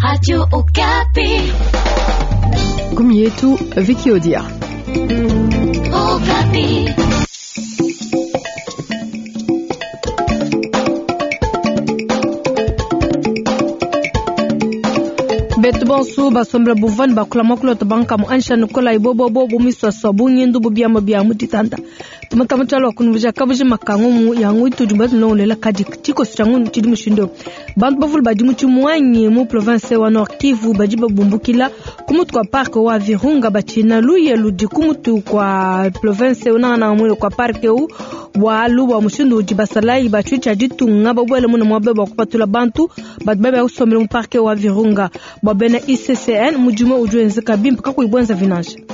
Radio Okapi. Gumi yetu Vicky Odia. Okapi. Betu bonso basombela buvani bakula makulota bankamu ansha nikola ibobobo bumiswaswa bunyindu bubiama bia mutitanda tumata mutalo wa kunuvuja kabuji makangu yangu itudi batunongolela kadi tshikoso tsha ngunu tshidi mushindo bantu bavulu badi mu tshimuanyi mu province wa Nord Kivu badi babumbukila ku mutu kwa parke wa Virunga batshina luye ludi ku mutu kwa province unangana mwile kwa parke u bwalu bwa mushindu udi basalayi batshwi tsha ditunga babuele muna muabe bwa kupatula bantu badi babe kusombela mu parke wa Virunga bwa bena ICCN mudimu udi wenzeka bimpe kakuyi bwenza vinanje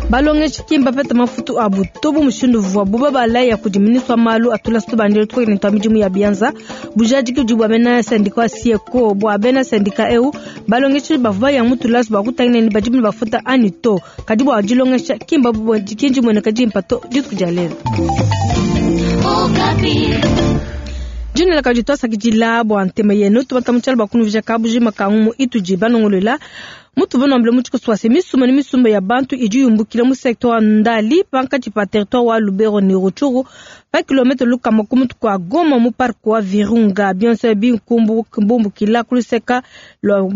balongeshi kimba peta mafutu abu tobu mushindu vua buba balaya kudi ministre wa malu atula situbandile tukokene twa midimu ya bianza bujadiki budi bua bena sindika wa sieko bua bena sindika eu balongeshi bavua baya mutulasu bua kutangila ni badi bafuta ani to kadi bua dilongesha kimba kinji mueneka dimpa to dituku dia lelu Okapi. Jina la twasakidila bua ntema yenu tubata mutshalo bua kunuvija kabujima kangumu itudi banongolola mutu banambile mutshikoso wase misumba ne misumba ya bantu idi yumbukila mu secteur wa Ndali pankatshi pa territoire wa Lubero ne Rutshuru pa kilomètre lukama ku mutu kua Goma mu parc wa Virunga bionso binkumbukila kuluseka lwa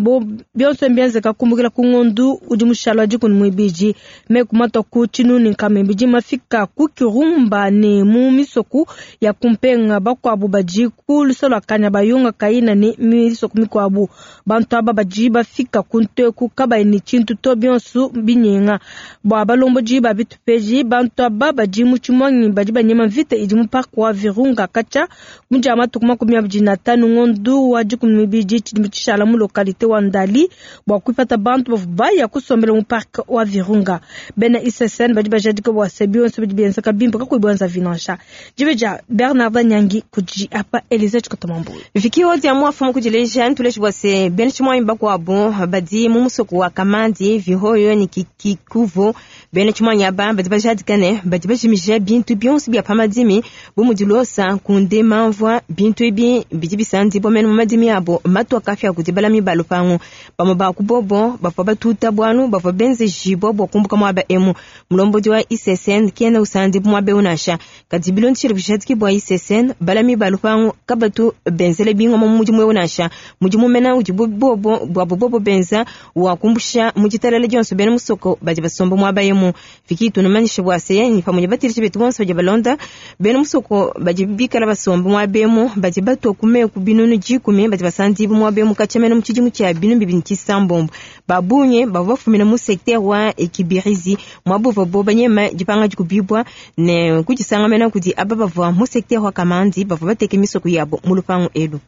bionso mbienzeka kumbukila ku ngondu udi mushalo wa dikuni muibidi meku matwa ku tshinuni nkama ibidi mafika ku Kirumba ne mu misoku ya kumpenga bakuabu badi ku lusa lua kanya bayunga kayina ne misoku mikuabu bantu aba badi bafika ku nteku kabayi ne tshintu to bionso binyenga bua balombodi ba bitupeji bantu aba badi mu tshimuanyi badi banyema mvita idi mu parc wa Virunga katshia mudia matuku 25 ngondu wa 12 tshidi tshishala mu localité wa Ndali bua kuipata bantu bavua baya kusombela mu parc wa Virunga bena ICCN badi bajadika bua se bionso bidi bienzeka bimpe kakuyi bwenza vinansha dibe dia Bernard Nyangi kudi apa Elise Tshikotomambu Vicky Odia mwafumu kudileja ntuleji bua se bena tshimuanyi bakuabu badi mu musoko wa Kamandi Vihoyo ni Kikuvu bena tshimuanyi aba badi bajadika ne badi bajimija bintu bionso bia pa madimi bu mudi losa kunde mamvua bintu ebi bidi bisandibwa mene mu madimi abo matua kafya kudi balami ba lupangu bamwe ba kubobo bavua batuta bwanu bavua benzejibwa bua kumbuka muaba emu mulombodi wa ICCN kena usandibwa muaba eu nansha kadi bilondeshile bujadiki bua ICCN balami ba lupangu kabatu benzele bingoma mu mudimu eu nansha mudimu mena udi bobo bwabo bobo benza wa kumbusha mu ditalala dionso bena musoko badi basomba muaba emu fiki tunumanyishe bua se ni pamwe batirishe betu bonso badi balonda bena musoko badi bikala basomba muaba emu badi batua ku meku binunu dikumi badi basandibu muaba emu katshia mena mu tshidimu tshia binu bibini tshisambombo babunye bavua bafumina mu secteur wa Kibirizi muaba uvua bo banyema dipanga dikubibwa ne kudisanga mena kudi aba bavua mu secteur wa Kamandi bavua bateke misoko yabo mu lupangu elu.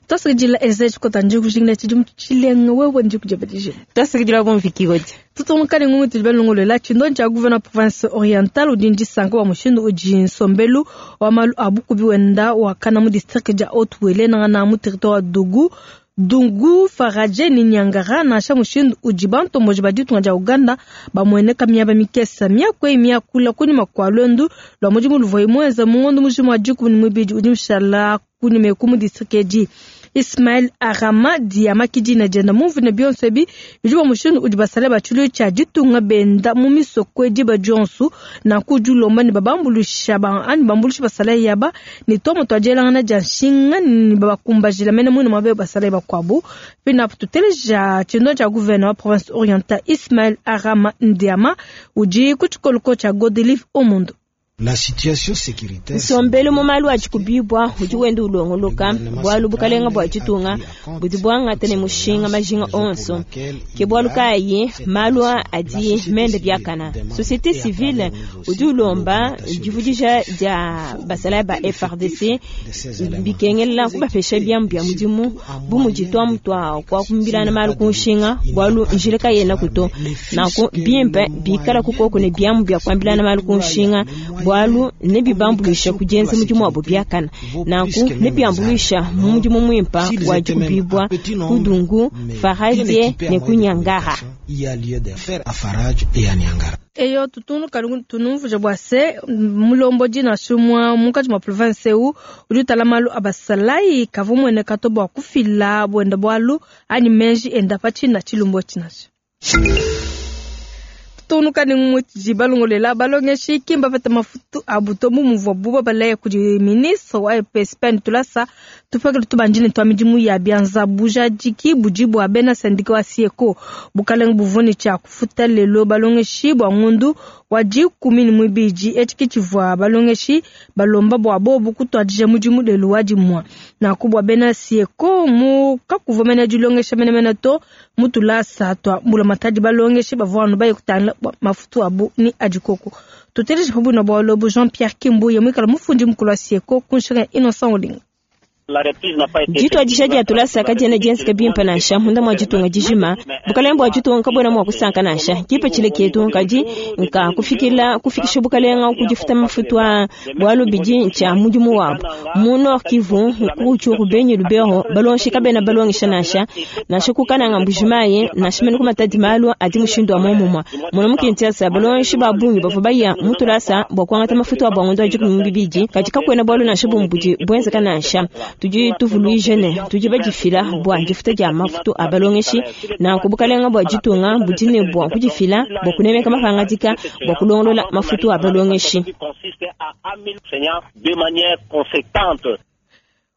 Twasakidila Elise Tshikota ndi kujingila tshidimu tshilenga wewe ndi kujabadije Twasakidila bom Vicky Odia. Tutungunuka ne ngumu tudi balongolola tshindo tshia gouverneur province orientale udi ndisanka wa mushindu udi nsombelu wa malu a bukubi wenda wakana mu district dia Haut-Uele nangana mu territoire wa Dugu Dungu Faraje ni Nyangara nansha mushindu udi bantomboji ba ditunga dia Uganda bamueneka miaba mikesa miakwe miakula kunyima kua lwendu lua mudimu luvua muenza mu ngondo mujima wa 12 udi mushala kunyima eku mu district edi Ismail Arama Diama kidina dienda mumvune bionso ebi bidi bua mushindu udi basale ba tshilu tshia ditunga benda mu misoko diba dionso nanku udi ulomba ne babambulusha ba anyi bambulusha basale yaba ne tomo tua dielangana dia nshinga ne babakumbajila mene muine muabe basale bakuabu pinapo tuteleja tshindo tshia gouverneur wa province orientale Ismail Arama Ndiama udi ku tshikoloko tshia Godelive Omondo. La situation sécuritaire nsombelu mu malu a tshikubibwa udi wenda ulongoloka bwalu bukalenga bua tshitunga budi bwangata ne mushinga majinga onso ke bwalu kayi malu adi mende biakana société civile udi ulomba divudija dia basalayi ba FRDC bikengelela kubapesha biamu bia mudimu bu mudi tuamu tua kuakumbilana malu ku nshinga bwalu njila kayena kuto nanku bimpe bikala kukoko ne biamu bia kuambilana malu ku nshinga bwalu nebibambulisha kujenza mudimu wabo biakana nanku nebiambulisha mu mudimu muimpa wa dikubibwa kudungu faradie ne kunyangara Il y a lieu de faire à Faraj et à Niangara. Eyo tutungunuka tunumvuija bua se mulombodi nansha umue munkatshi mua province eu udi utala malu a basalayi kavua mueneka to bua kufila buenda bualu anyi meji enda pa tshina tshilumbu etshi nansha. Tutungunuka ne mutudi balongolela balongeshi ki mbapete mafutu abu to bu muvuabu babalaya kudi ministre wa EPSP ne tulasa tupekele tubandile tua midimu ya bianza. Bujadiki budi bua bena sendika wa SIECO bukalenge buvua ne tshia kufuta lelo balongeshi bua ngondu wa 12. Etshi ke tshivua balongeshi balomba bua bobu kutuadija mudimu lelu wa dimua. Nanku bua bena SIECO mu kakuvua mena dilongesha menemene to mu tulasa tua mbulamatadi balongeshi bavua anu baye kutangila mafutu abu ni adikoko. Tuteleje pa buina bualu ebu Jean Pierre Kimbuye muikala mufundi mukulu wa SIECO ku nshinga ya Innocent Olinga. Dituadija dia tulasa kadiena dienzeka bimpe nansha munda mua ditunga dijima. Bukalenge bua ditunga kabuena mua kusanka nansha. Kipatshila ketu kadi nka kufikila kufikisha bukalenga ku difuta mafutu a bualu bidi ntshia mudimu wabu. Mu Nord Kivu, ku Rutshuru, Beni, Lubero, balongeshi kabena balongesha nansha nansha ku Kananga, Mbujimayi nansha mene ku Matadi malu adi mushindu wa muomumue. Mona mu Kinshasa balongeshi ba bungi bavua baya mu tulasa bua kuangata mafutu abu a ngondo wa 12, kadi kakuena bualu nansha bumue budi buenzeka nansha. Tudi tuvuluija ne tudi badifila bua difuta dia mafutu a balongeshi, nanku bukalenga bua ditunga budi ne bua kudifila bua kunemeka mapangadika bua kulongolola mafutu a balongeshi.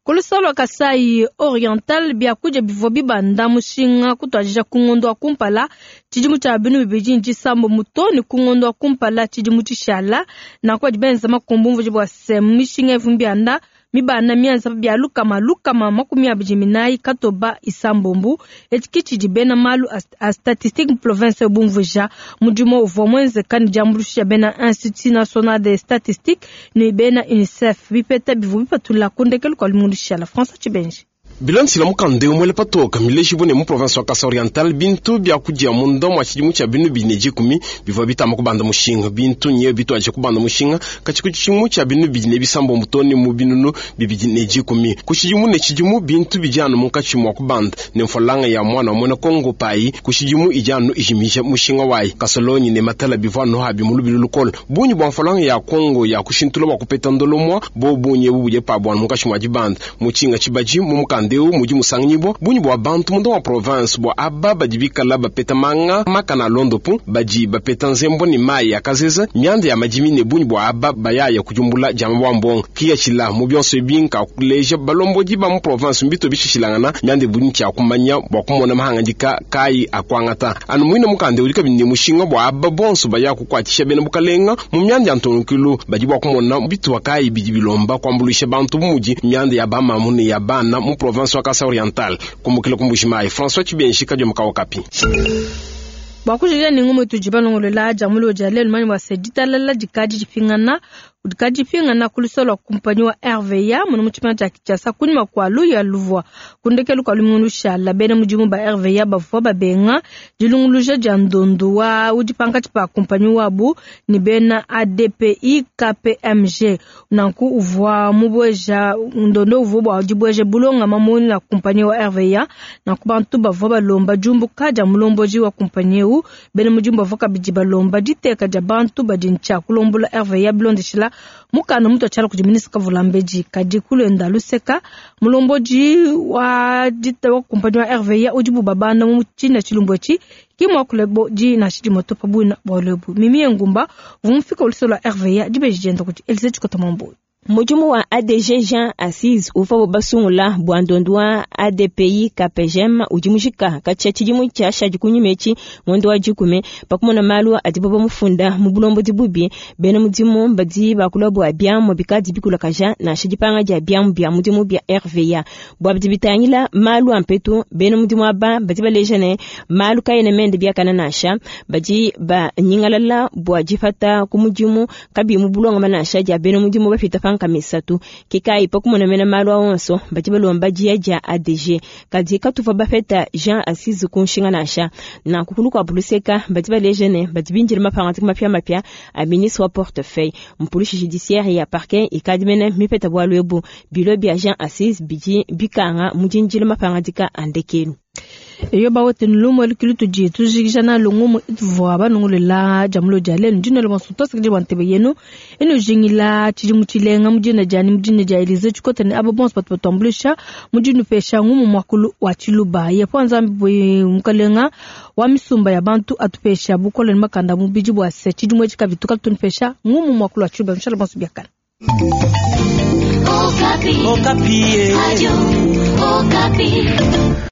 Ku luseke lua Kasai Oriental, biakudia bivua bibanda mushinga kutuadija ku ngondo wa kumpala tshidimu tshia 2009 to ne ku ngondo wa kumpala tshidimu tshishala. Nanku badi benza makumbu mvuji bua se mishinga ivua mibianda mibanda mienza bia 124 katoba isambombu. Etshi ke tshidi bena malu a statistique province bumvuija. Mudimu uvua muenzeka ne diambuluisha bena Institut National de Statistique ne bena UNICEF. Bipeta bivua bipatula ku ndekelu kua lumingu lushala. François Tshibenji. Bilansila mukanda umwele patoka mileji bune mu province wa Kasai Oriental bintu bya kudia munda mwa tshidimu tshia 2010 bivua bitamba kubanda mushinga. Bintu nye bitwaje kubanda mushinga katshiku tshidimu tshia 2006 toni mu 2010. Ku tshidimu ne tshidimu bintu bijanu munkatshi mwa kubanda ne mfolanga ya mwana wa mwena Kongo pai ku tshidimu ijanu ijimija mushinga wayi. Kasolonyi ne matala bivua no habi mu lubilu lukolo. Bunyi bwa mfolanga ya Kongo ya kushintula bwa kupeta ndolomwa bo bunye bubuje pa bwa munkatshi mwa dibanda. Mutshinga tshibaji mu mukanda eu mudi musanganyibwa bunyi bwa bantu munda wa province bwa aba badi bikala bapeta manga makana londopu badi bapeta nzembo ni mayi ya kazeza mianda ya madimi ne bunyi bwa aba bayaya kujumbula jama bwa mbongo kiyachila mu byonso ebinka kuleja balombodi ba mu province mbito bishishilangana mianda bunyi kya kumanya bwa kumona mahangandika kai akwangata anu mwine mukanda udi kabindi mushinga bwa aba bonso baya kukwatisha bena bukalenga mu mianda ya ntonukilu badi bwa kumona bitwa kai bidi bilomba kwambulisha bantu mudi mianda ya bamamu ne ya bana mu province wa Kasai Oriental. Kumbukila kumbushimai François Tshibenji kadyo mkawa kapi. Bwa kujija ni ngumu tujiba nongolola jamulo jale lumani wa seditalala dikadi dipingana dikadi dipingana kulusolo kumpanyi wa RVA muno mu tshipanga tshia Kinshasa kunyima kua luya luvua kundekelu kua lumingu lushala bena mudimu ba RVA bavua babenga dilunguluja dia ndondu wa udi pankatshi pa kumpanyi wabu ni bena ADPI KPMG nanku uvua mubweja ndondo uvua bua dibweja bulonga mamoni na kumpanyi wa RVA nanku bantu bavua balomba diumbuka dia mulomboji wa kumpanyi eu bena mudimu bavua kabidi balomba diteka dia bantu badi ntshia kulombola RVA bilondeshila mukanda mutu atshala kudi ministre Kavulambedi kadi kulenda luseka mulomboji wa dita wa kumpanyi wa RVA udi bubabanda mu tshina tshilumbu etshi kimwa kulebo di na shidi moto pabuina bwalebu mimi ngumba vumfika ulusolo la RVA dibeji dienda kuti Elise Chikota Mambo. Mudimu wa ADG Jean Assis uvua basungula bua ndondu wa ADPI KPGM udi mujika katshia tshidimu tshia shadi kunyima etshi ngondo wa dikume pakumona malu adi baba mufunda mu bulombo dibubi bena mudimu badi bakula bua biamu bikadi bikulakaja nansha dipanga dia biamu bia mudimu bia RVA bua bidi bitangila malu a mpetu bena mudimu aba badi baleja ne malu kayena mende biakana nansha badi banyingalala bua dipata ku mudimu kabi mu bulongo nansha dia bena mudimu bapita kamisatu kikai pakumona mena malu awonso badi balomba dia dia ADG kadi katuva bapeta Jean Assis kunshinga nansha na kukulu kwa buluseka badi baleja ne badi binjira mapanga mapya mapya a ministre wa portefeuille mpolice judiciaire ya parquet ikadi mene mipeta bwalu ebu bilo bia Jean Assis bidi bikanga mujinjira mapanga dika andekelu. Eyo bawetu lumue lukilu tudi tujikija nalu ngumu ituvua banungulela dia mulo dia lelu. Ndi nuela bonso tuasakidila bua ntebe yenu inujingila tshidimu tshilenga mu dina dianyi, mu dina dia Elize Tshikota ne aba bonso batu batuambuluisha mu dinupesha ngumu muakulu wa Tshiluba. Yehowa Nzambi mukalenga wa misumba ya bantu atupesha bukole ne makanda a mubidi bua se tshidimu etshi kabidi tukatunupesha ngumu muakulu wa Tshiluba. Nushala bonso biakane. Okapi. Okapi. Radio Okapi.